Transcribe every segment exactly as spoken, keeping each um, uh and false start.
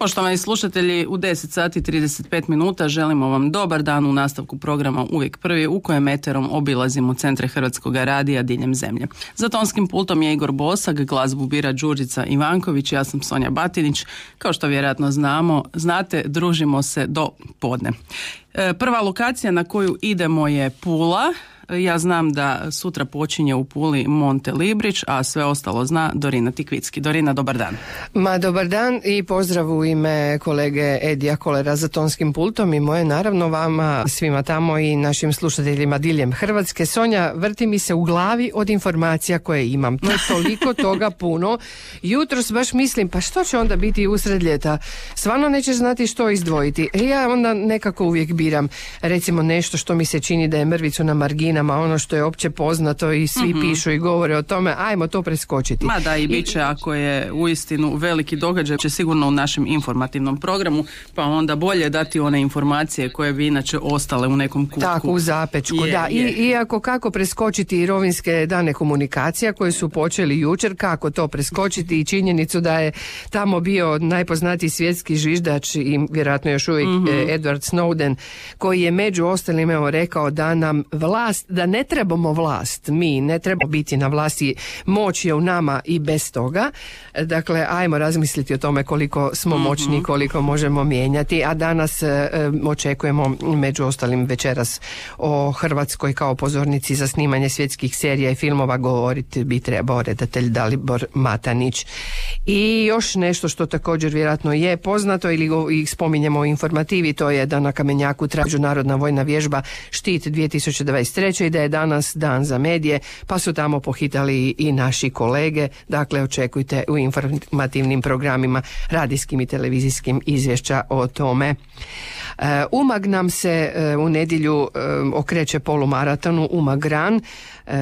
Poštovani slušatelji, u deset sati trideset pet minuta želimo vam dobar dan u nastavku programa Uvijek prvi, u kojem eterom obilazimo centre Hrvatskog radija diljem zemlje. Za tonskim pultom je Igor Bosak, glazbu bira Đurđica Ivanković, ja sam Sonja Batinić. Kao što vjerojatno znamo, znate, družimo se do podne. Prva lokacija na koju idemo je Pula. Ja znam da sutra počinje u Puli Monte Librić, a sve ostalo zna Dorina Tikvicki. Dorina, dobar dan. Ma, dobar dan i pozdrav u ime kolege Edija Kolera za tonskim pultom i moje naravno vama svima tamo i našim slušateljima diljem Hrvatske. Sonja, vrti mi se u glavi od informacija koje imam. To je toliko toga puno. Jutros baš mislim, pa što će onda biti usred ljeta? Stvarno nećeš znati što izdvojiti. E ja onda nekako uvijek biram, recimo nešto što mi se čini da je mrvicu na marginama, ono što je opće poznato i svi mm-hmm. pišu i govore o tome, ajmo to preskočiti. Ma da, i bit će, ako je uistinu veliki događaj, će sigurno u našem informativnom programu, pa onda bolje dati one informacije koje bi inače ostale u nekom kutku. Tako, u zapečku, je, da. I, iako kako preskočiti i rovinske dane komunikacija koje su počeli jučer, kako to preskočiti i činjenicu da je tamo bio najpoznatiji svjetski zviždač i vjerojatno još uvijek mm-hmm. Edward Snowden, koji je među ostalim evo rekao da nam vlast, da ne trebamo vlast, mi ne trebamo biti na vlasti, moć je u nama i bez toga. Dakle, ajmo razmisliti o tome koliko smo mm-hmm. moćni, koliko možemo mijenjati, a danas e, očekujemo među ostalim večeras o Hrvatskoj kao pozornici za snimanje svjetskih serija i filmova govoriti bi trebao redatelj Dalibor Matanić. I još nešto što također vjerojatno je poznato ili go, ih spominjemo u informativi, to je da na Kamenjaku traje međunarodna vojna vježba Štit dvije tisuće dvadeset treće i da je danas dan za medije, pa su tamo pohitali i naši kolege. Dakle, očekujte u informativnim programima, radijskim i televizijskim, izvješća o tome. E, Umag nam se e, u nedjelju e, okreće polumaratonu Umag Run. E,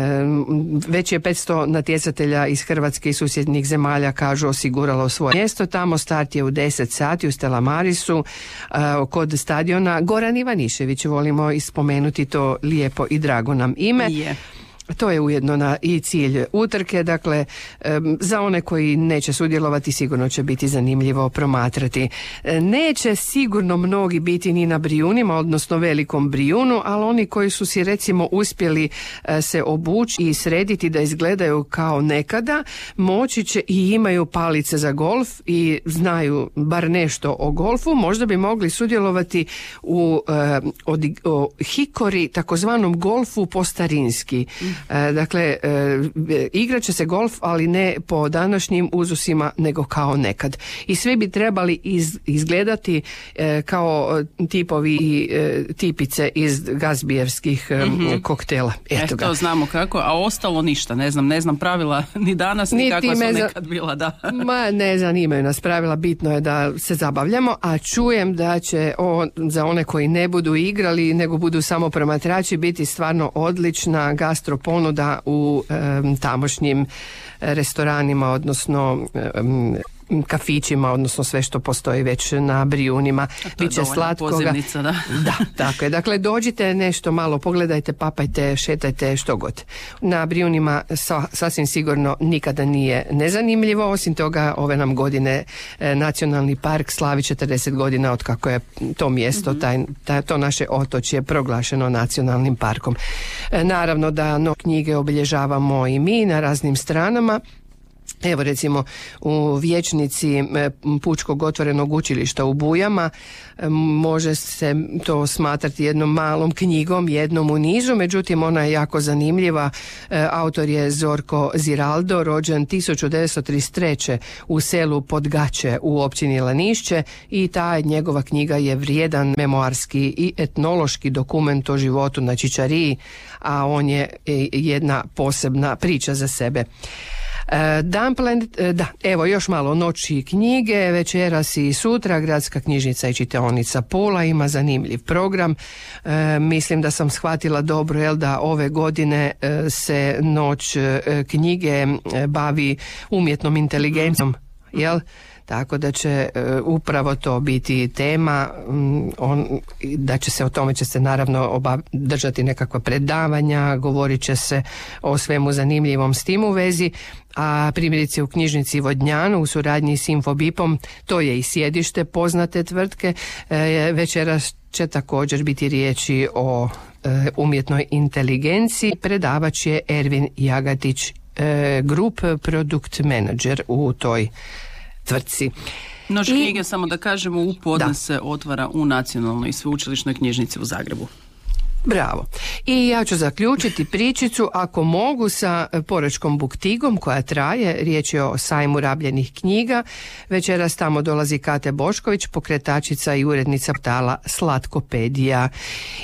već je petsto natjecatelja iz Hrvatske i susjednih zemalja, kažu, osiguralo svoje mjesto. Tamo start je u deset sati u Stella Marisu e, kod stadiona Goran Ivanišević. Volimo ispomenuti to lijepo i drago nam ime. Yeah. To je ujedno na i cilj utrke, dakle za one koji neće sudjelovati sigurno će biti zanimljivo promatrati. Neće sigurno mnogi biti ni na Brijunima, odnosno Velikom Brijunu, ali oni koji su si recimo uspjeli se obući i srediti da izgledaju kao nekada, moći će i imaju palice za golf i znaju bar nešto o golfu, možda bi mogli sudjelovati u o, o hikori, takozvanom golfu po starinski. E, dakle, e, igrat će se golf, ali ne po današnjim uzusima, nego kao nekad. I svi bi trebali iz, izgledati e, kao tipovi i e, tipice iz gazbijevskih e, mm-hmm. koktela. Eto ga. E, to znamo kako, a ostalo ništa, ne znam, ne znam pravila ni danas, ni kakva su nekad bila, da. Ma, ne zanimaju nas pravila, bitno je da se zabavljamo, a čujem da će o, za one koji ne budu igrali, nego budu samo promatrači, biti stvarno odlična gastro ponuda u um, tamošnjim restoranima, odnosno um, kafićima, odnosno sve što postoji već na Brijunima. Biće slatkoga. Da. Da, tako je. Dakle, dođite nešto malo, pogledajte, papajte, šetajte, što god. Na Brijunima sa, sasvim sigurno nikada nije nezanimljivo. Osim toga, ove nam godine e, Nacionalni park slavi četrdeset godina od kako je to mjesto, mm-hmm. taj, taj, to naše otočje proglašeno nacionalnim parkom. E, naravno da no knjige obilježavamo i mi na raznim stranama. Evo recimo u vijećnici Pučkog otvorenog učilišta u Bujama može se to smatrati jednom malom knjigom, jednom u nizu, međutim ona je jako zanimljiva. Autor je Zorko Ziraldo, rođen tisuću devetsto trideset treće u selu Podgače u općini Lanišće i ta njegova knjiga je vrijedan memoarski i etnološki dokument o životu na Čičariji, a on je jedna posebna priča za sebe. Dan planet, da, evo još malo noći knjige, večeras i sutra Gradska knjižnica i čitaonica Pula ima zanimljiv program. E, mislim da sam shvatila dobro, jel, da ove godine e, se noć e, knjige e, bavi umjetnom inteligencijom, jel? tako da će uh, upravo to biti tema, um, on, da će se o tome će se naravno obav, držati nekakva predavanja, govorit će se o svemu zanimljivom s tim u vezi, a primjerice u knjižnici Vodnjanu u suradnji s Infobipom, to je i sjedište poznate tvrtke, e, večeras će također biti riječi o e, umjetnoj inteligenciji. Predavač je Ervin Jagatić, e, Group Product Manager u toj tvrtci. Noć knjige, samo da kažemo, u podne se otvara u Nacionalnoj i sveučilišnoj knjižnici u Zagrebu. Bravo. I ja ću zaključiti pričicu, ako mogu, sa Porečkom buktigom koja traje. Riječ je o sajmu rabljenih knjiga. Večeras tamo dolazi Kate Bošković, pokretačica i urednica portala Slatkopedija.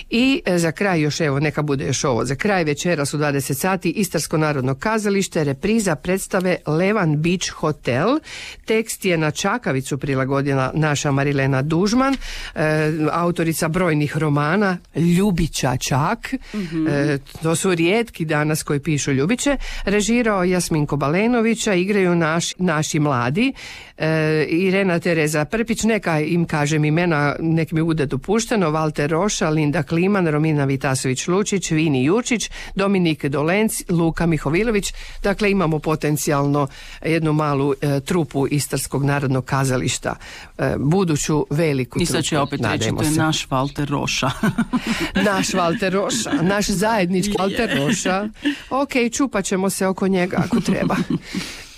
I za kraj još, evo, neka bude još ovo. Za kraj večeras u dvadeset sati Istarsko narodno kazalište, repriza predstave Levan Beach Hotel. Tekst je na čakavicu prilagodila naša Marilena Dužman, e, autorica brojnih romana, Ljubića čak, mm-hmm. e, to su rijetki danas koji pišu Ljubiće. Režirao Jasminko Balenovića, igraju naš, naši mladi, e, Irena Tereza Prpić, neka im kažem imena, nek mi bude dopušteno, Valter Roša, Linda Kliman, Romina Vitasović-Lučić, Vini Jurčić, Dominik Dolenc, Luka Mihovilović. Dakle, imamo potencijalno jednu malu e, trupu Istarskog narodnog kazališta, e, buduću veliku trupu. I sad će opet reći, to je naš Valter Roša. Naš Valter Roša, naš zajednički yeah. Valter Roša. Ok, čupat ćemo se oko njega ako treba.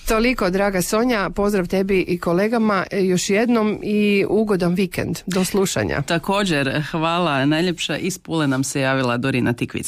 Toliko, draga Sonja, pozdrav tebi i kolegama još jednom i ugodan vikend. Do slušanja. Također, hvala najljepša. Iz Pule nam se javila Dorina Tikvic.